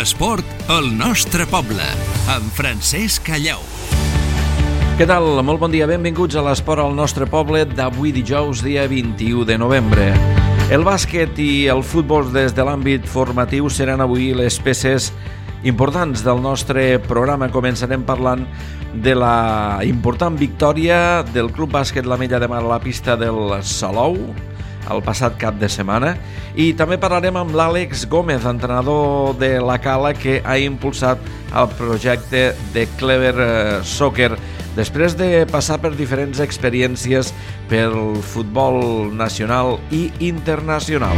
L'esport al nostre poble, amb Francesc Callau. Què tal? Molt bon dia, benvinguts a l'Esport al nostre poble d'avui dijous, dia 21 de novembre. El bàsquet i el futbol des de l'àmbit formatiu seran avui les peces importants del nostre programa. Començarem parlant de la important victòria del Club Bàsquet l'Ametlla de Mar a la pista del Salou el passat cap de setmana, i també parlarem amb l'Àlex Gómez, entrenador de la Cala, que ha impulsat el projecte de Clever Soccer després de passar per diferents experiències pel futbol nacional i internacional.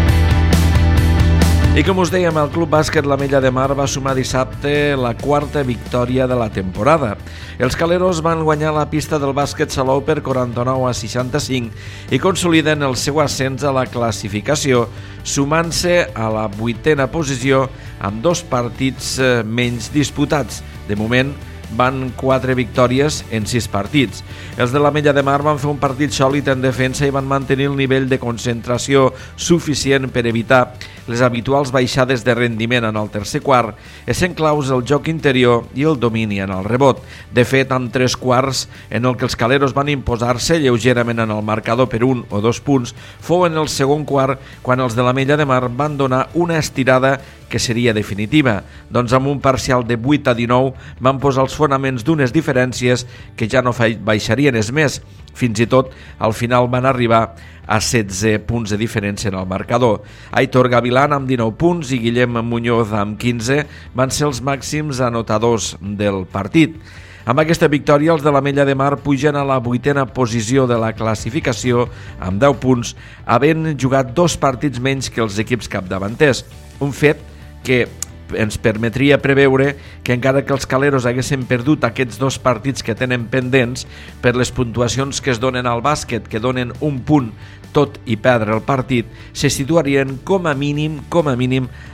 I com us dèiem, el Club Bàsquet l'Ametlla de Mar va sumar dissabte la quarta victòria de la temporada. Els caleros van guanyar la pista del bàsquet Salou per 49-65 i consoliden el seu ascens a la classificació, sumant-se a la 8a posició amb 2 partits menys disputats. De moment, van 4 victòries en 6 partits. Els de l'Ametlla de Mar van fer un partit sòlid en defensa i van mantenir el nivell de concentració suficient per evitar les habituals baixades de rendiment en el tercer quart, essent claus el joc interior i el domini en el rebot. De fet, amb 3 quarts en el que els caleros van imposar-se lleugerament en el marcador per 1 o 2 punts, fou en el segon quart quan els de l'Ametlla de Mar van donar una estirada que seria definitiva. Doncs amb un parcial de 8-19 van posar els fonaments d'unes diferències que ja no baixarien més. Fins i tot, al final van arribar a 16 punts de diferència en el marcador. Aitor Gavilán amb 19 punts i Guillem Muñoz amb 15 van ser els màxims anotadors del partit. Amb aquesta victòria, els de l'Ametlla de Mar pugen a la 8a posició de la classificació amb 10 punts, havent jugat 2 partits menys que els equips capdavanters. Un fet que ens permetria preveure que encara que els caleros haguessin perdut aquests 2 partits que tenen pendents, per les puntuacions que es donen al bàsquet, que donen un punt tot i perdre el partit, se situarien com a mínim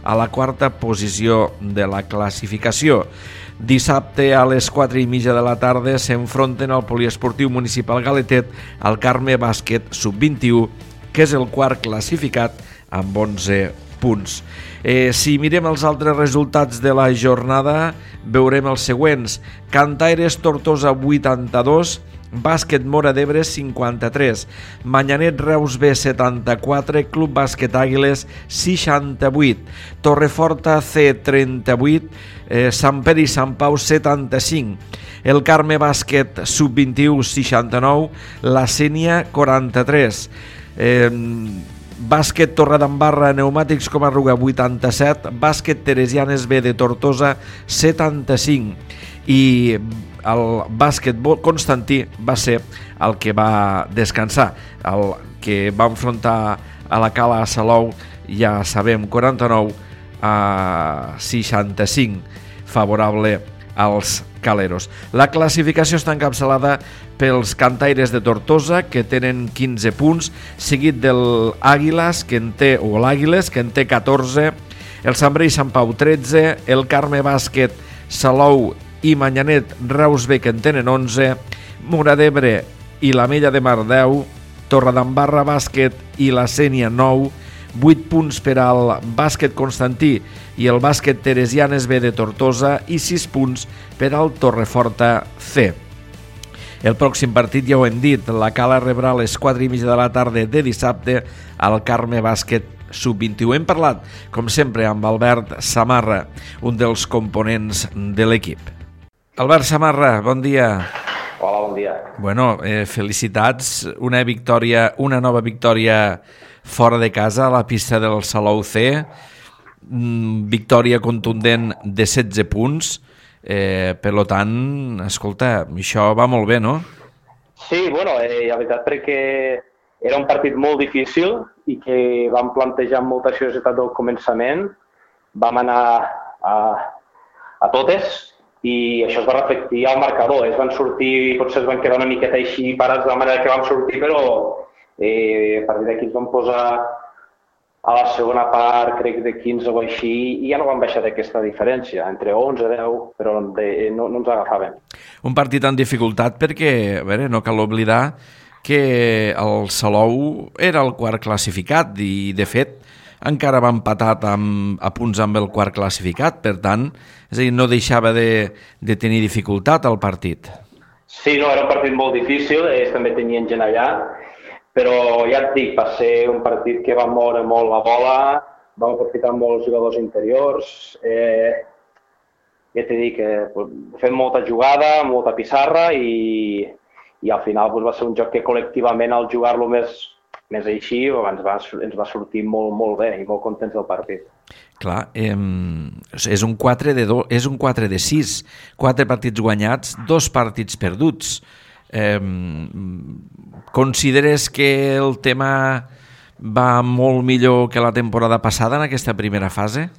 a la 4a posició de la classificació. Dissabte a les 4:30 de la tarda s'enfronten al Poliesportiu Municipal Galetet al Carme Bàsquet Sub-21, que és el quart classificat amb 11 punts. Si mirem els altres resultats de la jornada, veurem els següents. Cantaires Tortosa 82, Bàsquet Móra d'Ebre 53, Manyanet Reus B 74, Club Bàsquet Àguiles 68, Torreforta C 38, Sant Pere i Sant Pau 75, el Carme Bàsquet Sub-21 69, la Sénia 43, Bàsquet Torredembarra Pneumàtics Comarruga 87, Bàsquet Teresianes B de Tortosa 75 i el bàsquet Constantí va ser el que va descansar, el que va enfrontar a la Cala a Salou, ja sabem, 49-65, favorable als caleros. La classificació està encapçalada pels Cantaires de Tortosa, que tenen 15 punts, seguit del Àguiles, que en té 14, el Sant Pere i Sant Pau 13, el Carme Bàsquet Salou i Manyanet Reus B, que en tenen 11, Móra d'Ebre i l'Ametlla de Mar 10, Torredembarra Bàsquet i la Sénia 9, 8 punts per al Bàsquet Constantí i el Bàsquet Teresianes B de Tortosa i 6 punts per al Torreforta C. El pròxim partit, ja ho hem dit, la Cala rebrà a les 4:30 de la tarda de dissabte al Carme Bàsquet Sub-21. Hem parlat, com sempre, amb Albert Samarra, un dels components de l'equip. Albert Samarra, bon dia. Hola, bon dia. Bueno, felicitats, una nova victòria fora de casa a la pista del Salou C, victòria contundent de 16 punts, per tant, escolta, això va molt bé, no? Sí, bueno, la veritat perquè era un partit molt difícil i que vam plantejar amb molta seriositat del començament, vam anar a totes i això es va reflectir al marcador. Es van sortir, potser es van quedar una miqueta així parats de la manera que vam sortir, però a partir d'aquí ens vam posar a la segona part, crec de 15 o així, i ja no vam baixar d'aquesta diferència, entre 11 i 10, però no ens agafaven. Un partit en dificultat perquè, a veure, no cal oblidar que el Salou era el quart classificat i, de fet, encara va empatat a punts amb el quart classificat, per tant, és a dir, no deixava de tenir dificultat al partit. Sí, no, era un partit molt difícil, ells també tenien gent allà, però ja et dic, va ser un partit que va moure molt la bola, vam aprofitar molts jugadors interiors, ja t'he dit que fem molta jugada, molta pissarra i al final va ser un joc que col·lectivament al jugar-lo més així ens va sortir molt, molt bé i molt contents del partit. Clar, és un 4 de 6, 4 partits guanyats, 2 partits perduts. Consideres que el tema va molt millor que la temporada passada en aquesta primera fase?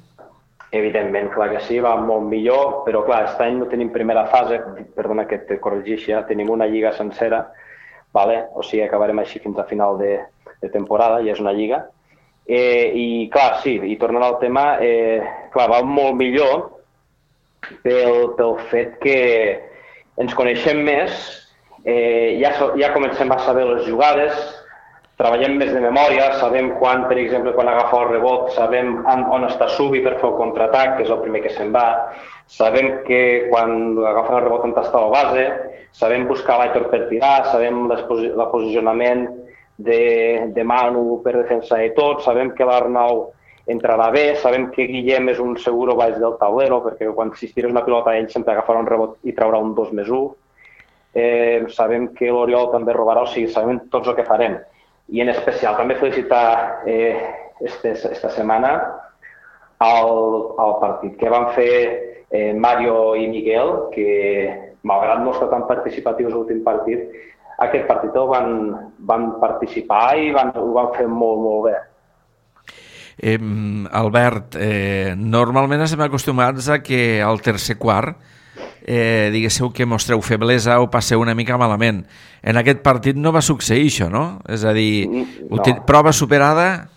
Evidentment, clar que sí, va molt millor, però clar, aquest any no tenim primera fase, perdona que et corregeixi, tenim una lliga sencera, vale? O sigui, acabarem així fins a final de temporada, ja és una lliga. I clar, sí, i tornant al tema, clar, va molt millor pel fet que ens coneixem més, ja comencem a saber les jugades, treballem més de memòria, sabem quan, per exemple, quan agafa el rebot, sabem on està Subi per fer el contraatac, que és el primer que se'n va, sabem que quan agafa el rebot on està la base, sabem buscar l'Aitor per tirar, sabem el posicionament de Manu per defensar i tot, sabem que l'Arnau entrarà bé, sabem que Guillem és un seguro baix del taulero, perquè quan si tires una pilota ell sempre agafarà un rebot i traurà un 2+1. Sabem que l'Oriol també robarà, o sigui, sabem tots el que farem. I en especial també felicitar esta setmana el partit que van fer Mario i Miguel, que malgrat no estar tan participatius l'últim partit, aquest partit el van participar i ho van fer molt, molt bé. Albert, normalment estem acostumats a que al tercer quart diguéssiu que mostreu feblesa o passeu una mica malament. En aquest partit no va succeir això, no? És a dir, no. Prova superada?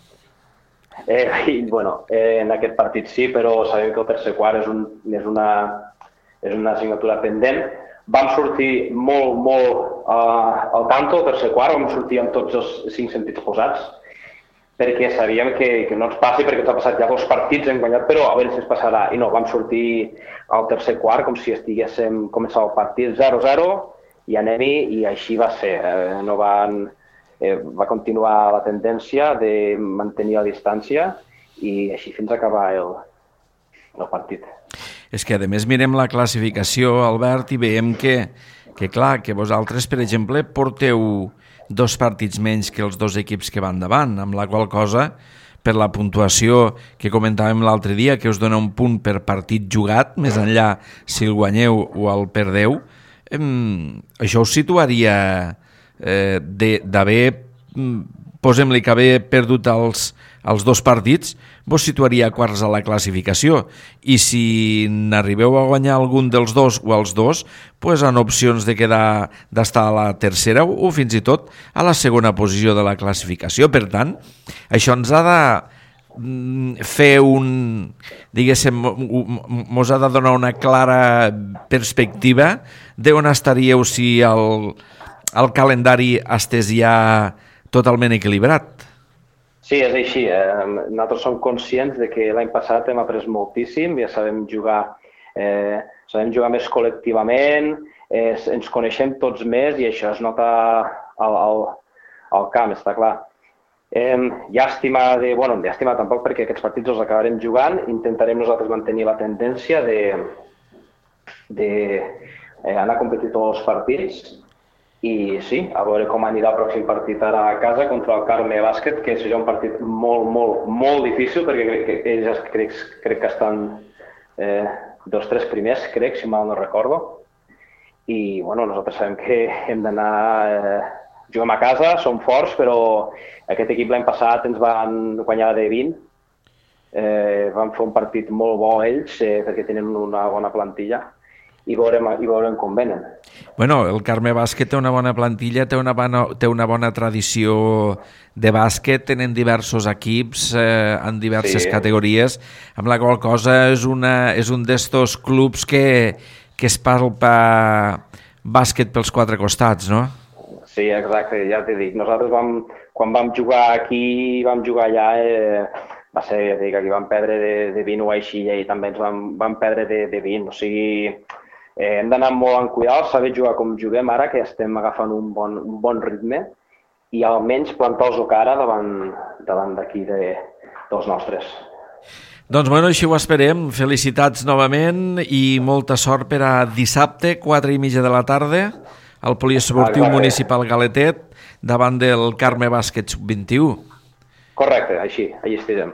Bueno, en aquest partit sí, però sabem que el tercer quart és una assignatura pendent. Vam sortir molt, molt al tanto, el tercer quart, vam sortir amb tots els 5 sentits posats, perquè sabíem que no ens passi, perquè ens ha passat ja 2 partits, hem guanyat, però a veure si ens passarà. I no, vam sortir al tercer quart com si estiguéssim començant el partit 0-0 i anem-hi, i així va ser. Va continuar la tendència de mantenir la distància i així fins a acabar el partit. És que, a més, mirem la classificació, Albert, i veiem que clar, que vosaltres, per exemple, porteu 2 partits menys que els 2 equips que van davant, amb la qual cosa, per la puntuació que comentàvem l'altre dia, que us dona un punt per partit jugat, més enllà si el guanyeu o el perdeu, això us situaria d'haver, posem-li que haver perdut els 2 partits, vos situaria a quarts a la classificació, i si n'arribeu a guanyar algun dels 2 o els 2, pues en opcions d'estar a la tercera o fins i tot a la segona posició de la classificació. Per tant, això ens ha de fer mos ha de donar una clara perspectiva d'on estaríeu si el calendari estés ja totalment equilibrat. Sí, és així. Nosaltres som conscients de que l'any passat hem après moltíssim, ja sabem jugar més col·lectivament, ens coneixem tots més i això es nota al camp, està clar. Llàstima tampoc, perquè aquests partits els acabarem jugant, intentarem nosaltres mantenir la tendència d'anar a competir tots els partits. I sí, a veure com anirà el pròxim partit ara a casa contra el Carme Bàsquet, que serà un partit molt, molt, molt difícil, perquè ells crec que estan dels 3 primers, crec, si mal no recordo. I nosaltres sabem que hem d'anar, juguem a casa, som forts, però aquest equip l'any passat ens van guanyar de 20. Van fer un partit molt bo ells, perquè tenen una bona plantilla. I veurem com venen. Bueno, el Carme Bàsquet té una bona plantilla, té una bona tradició de bàsquet, tenen diversos equips en diverses categories, amb la qual cosa és un d'estos clubs que es palpa bàsquet pels 4 costats, no? Sí, exacte, ja t'he dit. Nosaltres quan vam jugar aquí, vam jugar allà, va ser, ja dic, aquí vam perdre de 20 o així i també ens vam perdre de 20. O sigui, hem d'anar molt en cuidar, saber jugar com juguem ara, que estem agafant un bon ritme, i almenys plantar-los cara davant d'aquí dels nostres. Doncs bueno, així ho esperem. Felicitats novament i molta sort per a dissabte, 4:30 de la tarda, al Poliesportiu Municipal Galetet, davant del Carme Bàsquet Sub-21. Correcte, així estirem.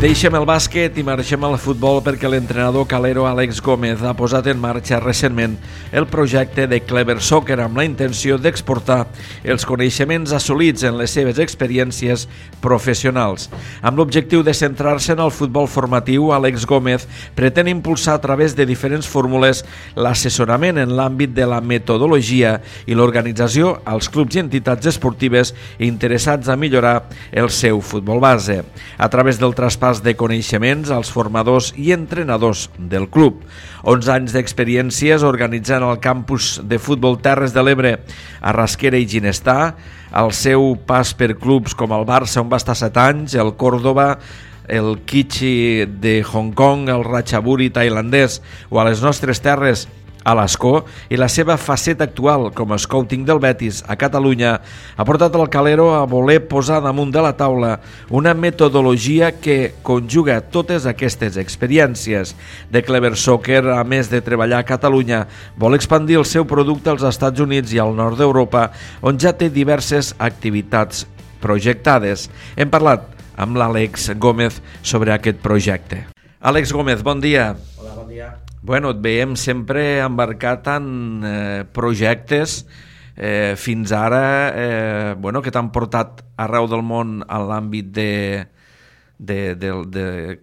Deixem el bàsquet i marxem al futbol perquè l'entrenador calero Àlex Gómez ha posat en marxa recentment el projecte de Clever Soccer amb la intenció d'exportar els coneixements assolits en les seves experiències professionals. Amb l'objectiu de centrar-se en el futbol formatiu, Àlex Gómez pretén impulsar a través de diferents fórmules l'assessorament en l'àmbit de la metodologia i l'organització als clubs i entitats esportives interessats a millorar el seu futbol base. A través del traspàs de coneixements als formadors i entrenadors del club. 11 anys d'experiències organitzant el campus de futbol Terres de l'Ebre a Rasquera i Ginestar, el seu pas per clubs com el Barça, on va estar 7 anys, el Córdoba, el Kichi de Hong Kong, el Ratchaburi tailandès o a les nostres terres a l'Escó, i la seva faceta actual com a scouting del Betis a Catalunya ha portat el calero a voler posar damunt de la taula una metodologia que conjuga totes aquestes experiències. The Clever Soccer, a més de treballar a Catalunya, vol expandir el seu producte als Estats Units i al nord d'Europa, on ja té diverses activitats projectades. Hem parlat amb l'Àlex Gómez sobre aquest projecte. Àlex Gómez, bon dia. Hola, bon dia. Bueno, et veiem sempre embarcat en projectes fins ara que t'han portat arreu del món en l'àmbit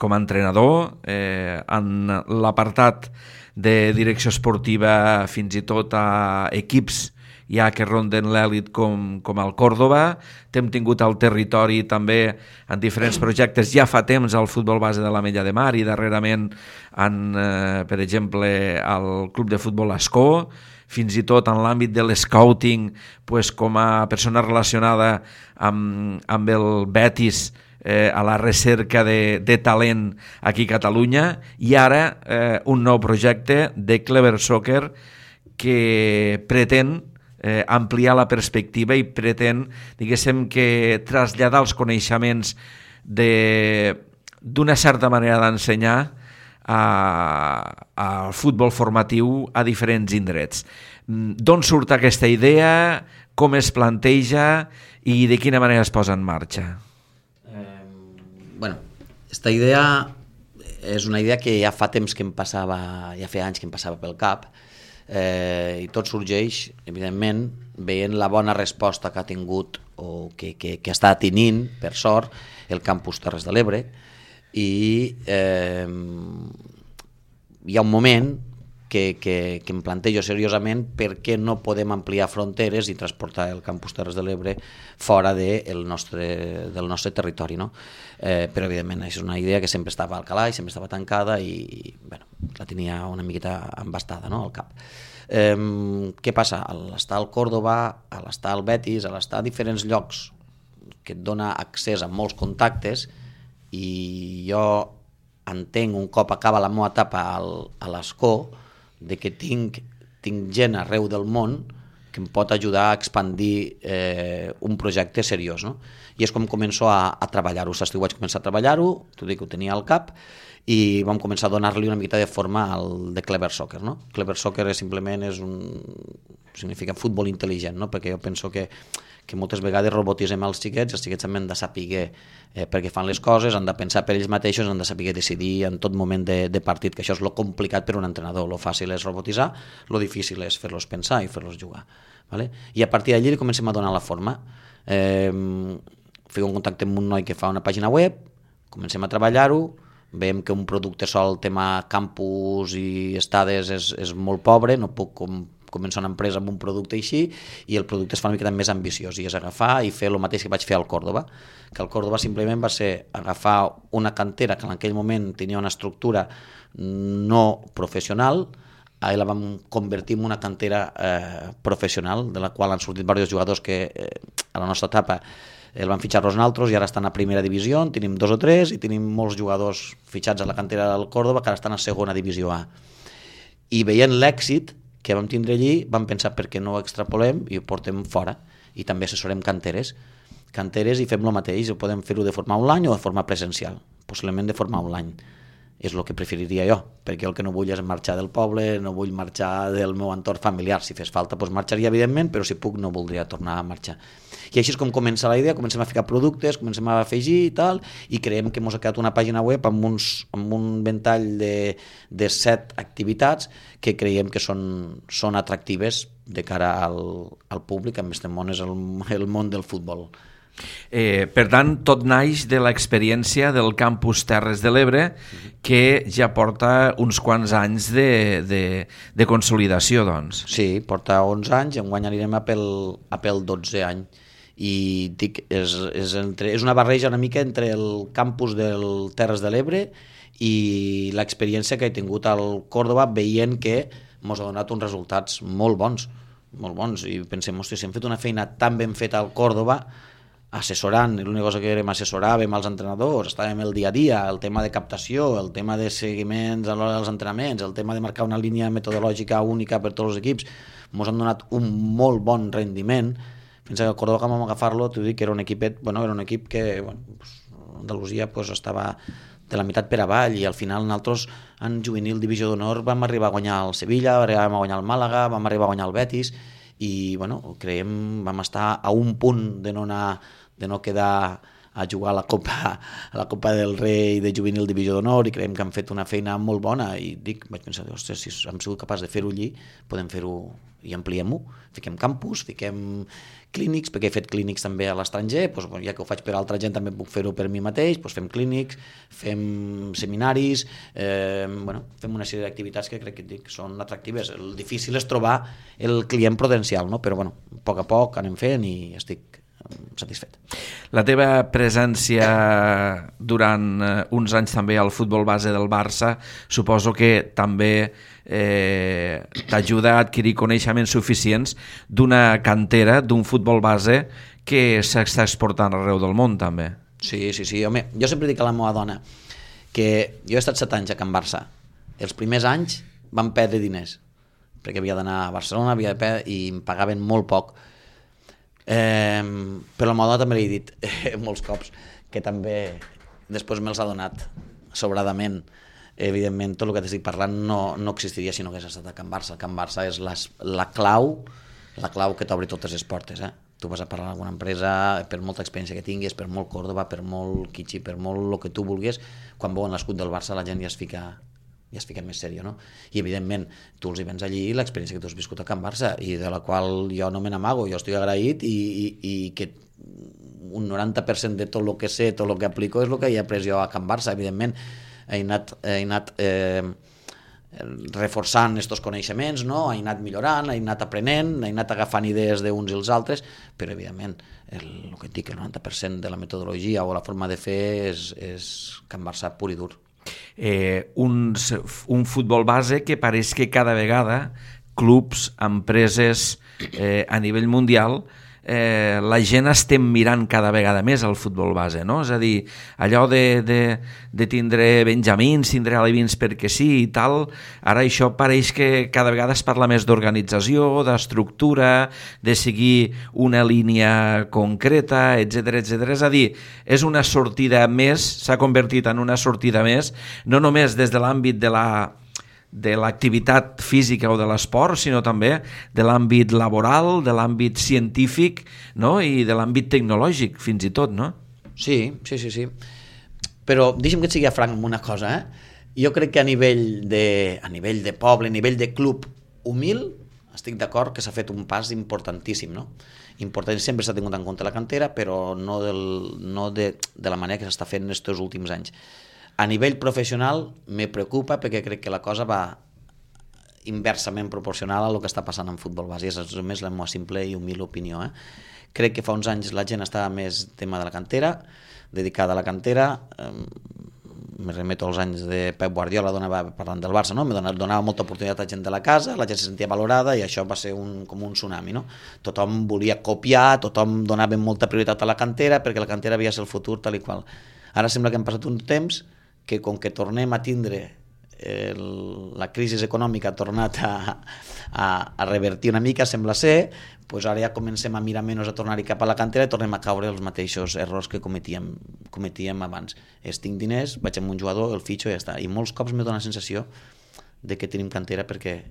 com a entrenador, en l'apartat de direcció esportiva fins i tot a equips ja que ronden l'èlit com el Córdoba. T'hem tingut al territori també en diferents projectes ja fa temps al futbol base de l'Ametlla de Mar i darrerament per exemple al club de futbol Escó, fins i tot en l'àmbit de l'escouting com a persona relacionada amb el Betis a la recerca de talent aquí a Catalunya, i ara un nou projecte de Clever Soccer que pretén ampliar la perspectiva i pretén, diguéssim, que traslladar els coneixements d'una certa manera d'ensenyar al futbol formatiu a diferents indrets. D'on surt aquesta idea, com es planteja i de quina manera es posa en marxa? Esta idea és una idea que ja fa temps que em passava, ja feia anys que em passava pel cap, i tot sorgeix, evidentment, veient la bona resposta que ha tingut o que està tenint, per sort, el campus Terres de l'Ebre, i hi ha un moment que em plantejo seriosament per què no podem ampliar fronteres i transportar el campus Terres de l'Ebre fora del nostre territori, no? Però evidentment és una idea que sempre estava al calaix, sempre estava tancada i la tenia una miqueta embastada, no, al cap. Què passa? A l'estar al Córdoba, a l'estar al Betis, a l'estar a diferents llocs que et dona accés a molts contactes, i jo entenc un cop acaba la meva etapa a l'Escó de que tinc gent arreu del món que em pot ajudar a expandir un projecte seriós, no? I és com començo a treballar-ho. L'estiu vaig començar a treballar-ho, t'ho dic, ho tenia al cap, i vam començar a donar-li una miqueta de forma al de Clever Soccer, no? Clever Soccer simplement significa futbol intel·ligent, no? Perquè jo penso que moltes vegades robotitzem els xiquets també han de saber perquè fan les coses, han de pensar per ells mateixos, han de saber decidir en tot moment de partit, que això és lo complicat per un entrenador. Lo fàcil és robotitzar, lo difícil és fer-los pensar i fer-los jugar. Vale? I a partir d'allí comencem a donar la forma. Fico en contacte amb un noi que fa una pàgina web, comencem a treballar-ho, veiem que un producte sol, el tema campus i estades és molt pobre, no puc començar una empresa amb un producte així, i el producte es fa una mica més ambiciós, i és agafar i fer el mateix que vaig fer al Córdoba, que al Córdoba simplement va ser agafar una cantera que en aquell moment tenia una estructura no professional, la vam convertir en una cantera professional, de la qual han sortit diversos jugadors que a la nostra etapa el van fitxar nosaltres i ara estan a primera divisió, en tenim 2 o 3 i tenim molts jugadors fitxats a la cantera del Córdoba que ara estan a segona divisió A. I veient l'èxit que vam tindre allí, vam pensar per què no ho extrapolem i ho portem fora. I també assessorem canteres i fem el mateix, podem fer-ho de forma online o de forma presencial, possiblement de forma online. És el que preferiria jo, perquè el que no vull és marxar del poble, no vull marxar del meu entorn familiar. Si fes falta, doncs marxaria, evidentment, però si puc no voldria tornar a marxar. I així és com comença la idea, comencem a ficar productes, comencem a afegir i tal, i creiem que ens ha quedat una pàgina web amb un ventall de 7 activitats que creiem que són atractives de cara al públic, amb este món és el món del futbol. Per tant, tot naix de l'experiència del campus Terres de l'Ebre, que ja porta uns quants anys de consolidació, doncs. Sí, porta 11 anys i enguany anirem a pel 12 any. I dic, és una barreja una mica entre el campus del Terres de l'Ebre i l'experiència que he tingut al Córdoba, veient que ens ha donat uns resultats molt bons, i pensem, hòstia, si hem fet una feina tan ben feta al Córdoba, assessorant, l'única cosa que érem assessoràvem als entrenadors, estàvem el dia a dia, el tema de captació, el tema de seguiments a l'hora dels entrenaments, el tema de marcar una línia metodològica única per tots els equips, ens han donat un molt bon rendiment. Pensa que el Córdoba, que vam agafar-lo, t'ho dic, era un equip que Andalusia estava de la meitat per avall, i al final nosaltres en juvenil divisió d'honor vam arribar a guanyar el Sevilla, vam guanyar el Màlaga, vam arribar a guanyar el Betis, i creiem vam estar a un punt de no quedar a jugar a la Copa del Rei de juvenil divisió d'honor, i creiem que han fet una feina molt bona, i vaig pensar, ostres, si hem sigut capaços de fer-ho allí, podem fer-ho i ampliem-ho, fiquem campus, fiquem clínics, perquè he fet clínics també a l'estranger, ja que ho faig per altra gent també puc fer-ho per mi mateix, fem clínics, fem seminaris, fem una sèrie d'activitats que crec que són atractives. El difícil és trobar el client potencial, no? Però a poc a poc anem fent i estic satisfet. La teva presència durant uns anys també al futbol base del Barça suposo que també t'ajuda a adquirir coneixements suficients d'una cantera, d'un futbol base que s'està exportant arreu del món també. Sí, home, jo sempre dic a la meva dona que jo he estat 7 anys a Can Barça. Els primers anys vam perdre diners perquè havia d'anar a Barcelona i em pagaven molt poc. Però la meva dona també li he dit molts cops que també després me'ls ha donat sobradament. Evidentment, tot el que t'estic parlant no existiria si no hagués estat a Can Barça. Can Barça és la clau que t'obre totes les portes. Tu vas a parlar amb alguna empresa, per molta experiència que tinguis, per molt Córdoba, per molt Kitchi, per molt el que tu vulguis, quan veuen l'escut del Barça la gent ja es fica més sèrio, no? I evidentment tu els hi vens allí l'experiència que tu has viscut a Can Barça i de la qual jo no me n'amago, jo estic agraït i que un 90% de tot el que sé, tot el que aplico és el que he après jo a Can Barça. Evidentment he anat reforçant aquests coneixements, no? He anat millorant, he anat aprenent, he anat agafant idees d'uns i els altres, però evidentment el que et dic, el 90% de la metodologia o la forma de fer és Can Barça pur i dur. Un futbol base que pareix que cada vegada clubs, empreses a nivell mundial, la gent estem mirant cada vegada més el futbol base, no? És a dir, allò de tindre benjamins, tindre alevins perquè sí i tal, ara això pareix que cada vegada es parla més d'organització, d'estructura, de seguir una línia concreta, etc. És a dir, és una sortida més, s'ha convertit en una sortida més, no només des de l'àmbit de l'activitat física o de l'esport, sinó també de l'àmbit laboral, de l'àmbit científic, no? I de l'àmbit tecnològic, fins i tot, no? Sí. Però deixa'm que et sigui franc amb una cosa, Jo crec que a nivell de poble, a nivell de club humil, estic d'acord que s'ha fet un pas importantíssim, no? Important, sempre s'ha tingut en compte la cantera, però no de la manera que s'està fent aquests últims anys. A nivell professional me preocupa perquè crec que la cosa va inversament proporcional a el que està passant en futbol base. És només la meva simple i humil opinió. Crec que fa uns anys la gent estava més tema de la cantera, dedicada a la cantera. me remeto als anys de Pep Guardiola, parlant del Barça, no? Donava molta oportunitat a gent de la casa, la gent se sentia valorada i això va ser com un tsunami, no? Tothom volia copiar, tothom donava molta prioritat a la cantera perquè la cantera havia de ser el futur tal i qual. Ara sembla que hem passat un temps que com que tornem a tindre la crisi econòmica ha tornat a revertir una mica, sembla ser, doncs ara ja comencem a mirar menys a tornar-hi cap a la cantera i tornem a caure els mateixos errors que cometíem abans. Tinc diners, vaig amb un jugador, el fitxo i ja està. I molts cops me dona la sensació de que tenim cantera perquè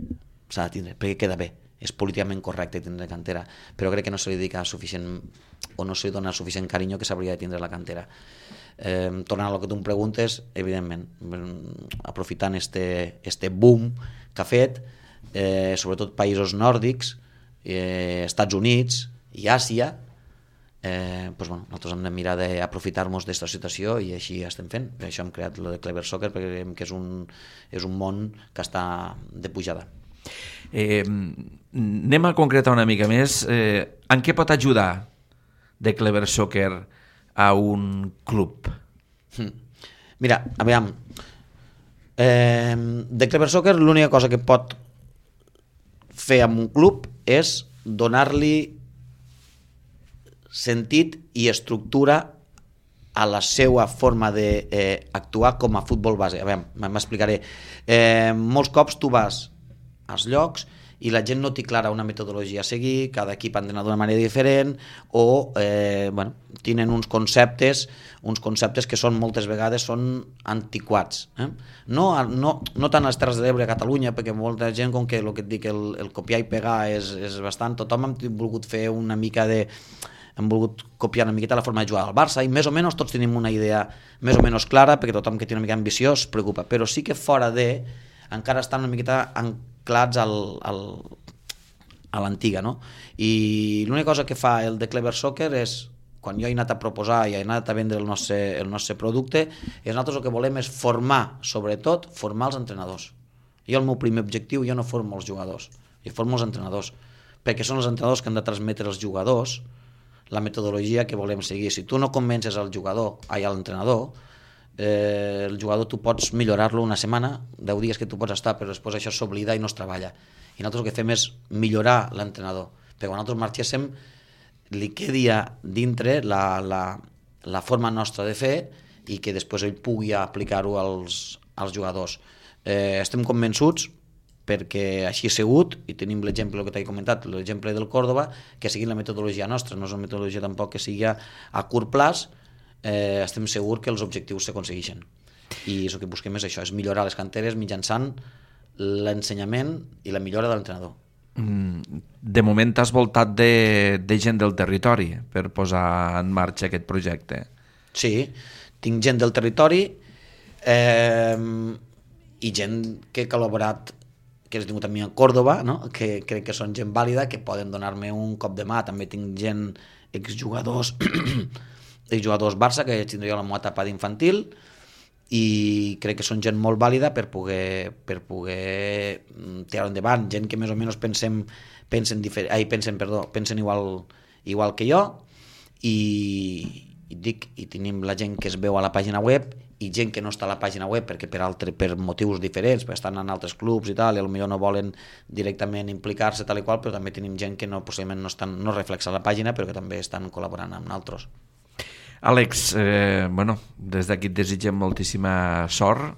s'ha de tindre, perquè queda bé. És políticament correcte tindre cantera, però crec que no se li dedica suficient o no se li dona suficient carinyo que s'hauria de tindre la cantera. Tornant al que tu em preguntes, evidentment, aprofitant este boom que ha fet, sobretot països nòrdics, Estats Units i Àsia, nosaltres hem de mirar d'aprofitar-nos d'aquesta situació i així estem fent. Per això hem creat el de Clever Soccer, perquè creiem que és un món que està de pujada. Anem a concretar una mica més. En què pot ajudar de Clever Soccer a un club? Mira, aviam, de Clever Soccer l'única cosa que pot fer amb un club és donar-li sentit i estructura a la seva forma d'actuar com a futbol base. A veure, m'explicaré. Molts cops tu vas als llocs i la gent no té clara una metodologia a seguir, cada equip ha d'anar d'una manera diferent o tenen uns conceptes que són moltes vegades antiquats. No tant a les Terres de l'Ebre a Catalunya, perquè molta gent, com que el que et dic, el copiar i pegar és bastant, tothom hem volgut fer una mica hem volgut copiar una miqueta la forma de jugar al Barça i més o menys tots tenim una idea més o menys clara, perquè tothom que té una mica ambició es preocupa, però sí que fora encara estan una miqueta anclats a l'antiga, no? I l'única cosa que fa el de Clever Soccer és, quan jo he anat a proposar i he anat a vendre el nostre producte, nosaltres el que volem és sobretot formar els entrenadors. Jo el meu primer objectiu, jo no formo els jugadors, jo formo els entrenadors, perquè són els entrenadors que han de transmetre als jugadors la metodologia que volem seguir. Si tu no convences al jugador, a l'entrenador, el jugador tu pots millorar-lo una setmana, 10 dies que tu pots estar, però després això s'oblida i no es treballa. I nosaltres el que fem és millorar l'entrenador, perquè quan nosaltres marxéssim li quedi dintre la forma nostra de fer i que després ell pugui aplicar-ho als jugadors. Estem convençuts, perquè així ha sigut, i tenim l'exemple que t'he comentat, l'exemple del Córdoba, que sigui la metodologia nostra, no és una metodologia tampoc que sigui a curt plaç, estem segurs que els objectius s'aconsegueixen. I el que busquem és això, és millorar les canteres mitjançant l'ensenyament i la millora de l'entrenador. De moment t'has voltat de gent del territori per posar en marxa aquest projecte. Sí, tinc gent del territori i gent que he col·laborat, que he tingut a mi a Córdoba, no? Que crec que són gent vàlida, que poden donar-me un cop de mà. També tinc gent, exjugadors Barça, que tindria la meva etapa d'infantil, i crec que són gent molt vàlida per poder tirar endavant, gent que més o menys pensen igual que jo, i tenim la gent que es veu a la pàgina web i gent que no està a la pàgina web perquè per motius diferents, perquè estan en altres clubs i tal, i potser no volen directament implicar-se tal i qual, però també tenim gent que possiblement no reflexa la pàgina però que també estan col·laborant amb nosaltres. Àlex, des d'aquí et desitgem moltíssima sort,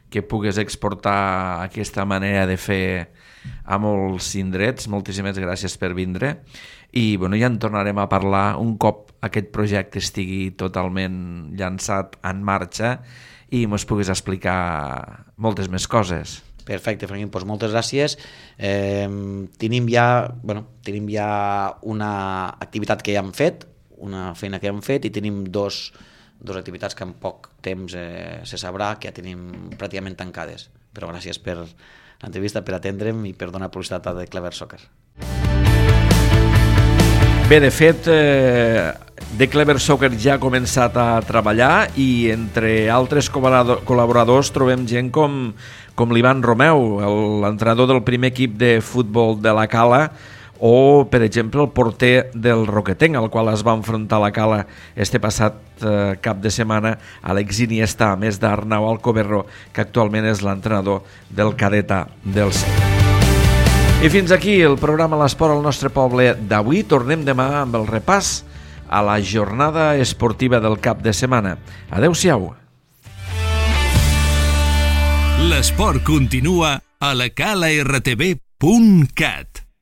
que pugues exportar aquesta manera de fer a molts indrets. Moltíssimes gràcies per vindre i ja en tornarem a parlar un cop aquest projecte estigui totalment llançat en marxa i ens puguis explicar moltes més coses. Perfecte, Franquín, doncs moltes gràcies. Tenim ja una activitat que ja hem fet, una feina que hem fet, i tenim dos activitats que en poc temps se sabrà que ja tenim pràcticament tancades. Però gràcies per l'entrevista, per atendre'm i per donar publicitat a The Clever Soccer. Bé, de fet, The Clever Soccer ja ha començat a treballar i entre altres col·laboradors trobem gent com l'Ivan Romeu, l'entrenador del primer equip de futbol de la Cala, o, per exemple, el porter del Roquetenc, al qual es va enfrontar a la Cala este passat cap de setmana, Alex Iniesta, a més d'Arnau Alcoberro, que actualment és l'entrenador del Cadeta del C. I fins aquí el programa L'Esport al nostre poble d'avui. Tornem demà amb el repàs a la jornada esportiva del cap de setmana. Adéu-siau. L'esport continua a la calartv.cat.